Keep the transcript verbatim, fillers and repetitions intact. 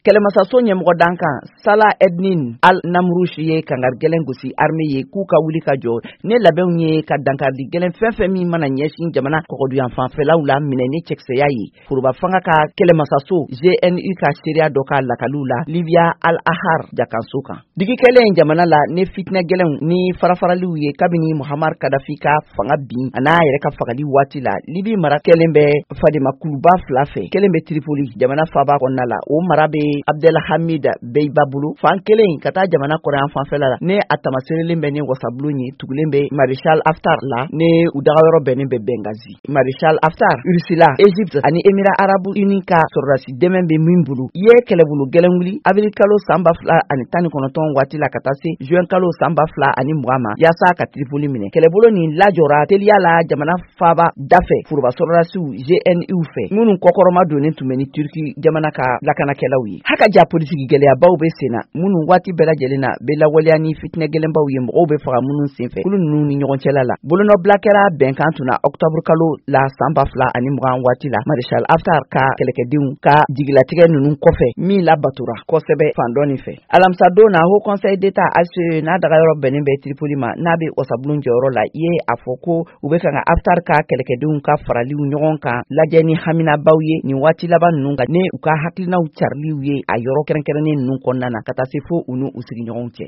Kɛlɛmasaso ɲɛmɔgɔ dankan Salah Eddine Al Namrouche ye kangari gɛlɛn gosi armée ye k'u ka wuli ka jɔ ne labɛnw ye ka dankarili gɛlɛn fɛn fɛn min mana ɲɛsin jamana kɔgɔduyan fanfɛlaw la minɛ ni cɛkisɛya ye. Foroba fanga ka kɛlɛmasaso G N U ka seereya dɔ ka lakaliw la Libya Al Ahrar jakanso kan. Digi kɛlen jamana la ne fitinɛ gɛlɛnw ni farafaraliw ye kabini Muhammar Kadafi ka fanga bin a n'a yɛrɛ ka fagali waati la, Libi mara kɛlen bɛ fademakuluba fila fɛ. Kelen bɛ Tripoli, jamana faaba kɔnɔna la, o mara bɛ Abdelhamid Beiba bolo. Fan kelen ka taa jamana kɔrɔyan fanfɛla la, ne a tamaserelen bɛ ni wasabulon ye, tugulen bɛ Maréchal Haftar la, ne u dagayɔrɔ bɛnnen bɛ Benghazi. Maréchal Haftar, Russie la, Égypte ani Émirats arabes unis ka sɔrɔdasi dɛmɛ bɛ min bolo, ye kɛlɛbolo gɛlɛn wuli avril kalo san ba fila ani tan ni kɔnɔntɔn waati la ka taa se juin kalo san ba fila ani mugan ma, yaasa ka Tripoli minɛ. Kɛlɛbolo nin lajɔra teliya la jamana faaba dafɛ foroba sɔrɔdasiw G N U fɛ, minnu kɔkɔrɔma donnen tun bɛ ni Turki jamana ka lakanakɛlaw ye. Haka ja politiki gɛlɛyabaw bɛ sen na, minnu waati bɛɛ lajɛlen na bɛ lawaleya ni fitinɛ gɛlɛnbaw ye, mɔgɔw bɛ faga minnu senfɛ kulu ninnu ni ɲɔgɔn cɛla la. Bolonɔbila kɛra bɛnkan tun na octobre kalo la san ba fila ani mugan waati la, Maréchal Haftar ka kɛlɛkɛdenw ka jigilatigɛ ninnu kɔfɛ, min labatora kosɛbɛ fan dɔ nin fɛ. Alamisadon na, Haut Conseil d'État H C E, n'a dagayɔrɔ bɛnnen bɛ Tripoli ma, n'a bɛ wasabulon jɔyɔrɔ la, i ye a fɔ ko u bɛ kan ka Haftar ka kɛlɛkɛdenw ka faraliw ɲɔgɔn kan lajɛ ni haminabaw ye nin waati laban ninnu kan, ne u ka hakilinaw cariliw ye a yɔrɔ kɛrɛnkɛrɛnnen ninnu kɔnɔna na, ka taa se fo u n'u sigiɲɔgɔnw cɛ.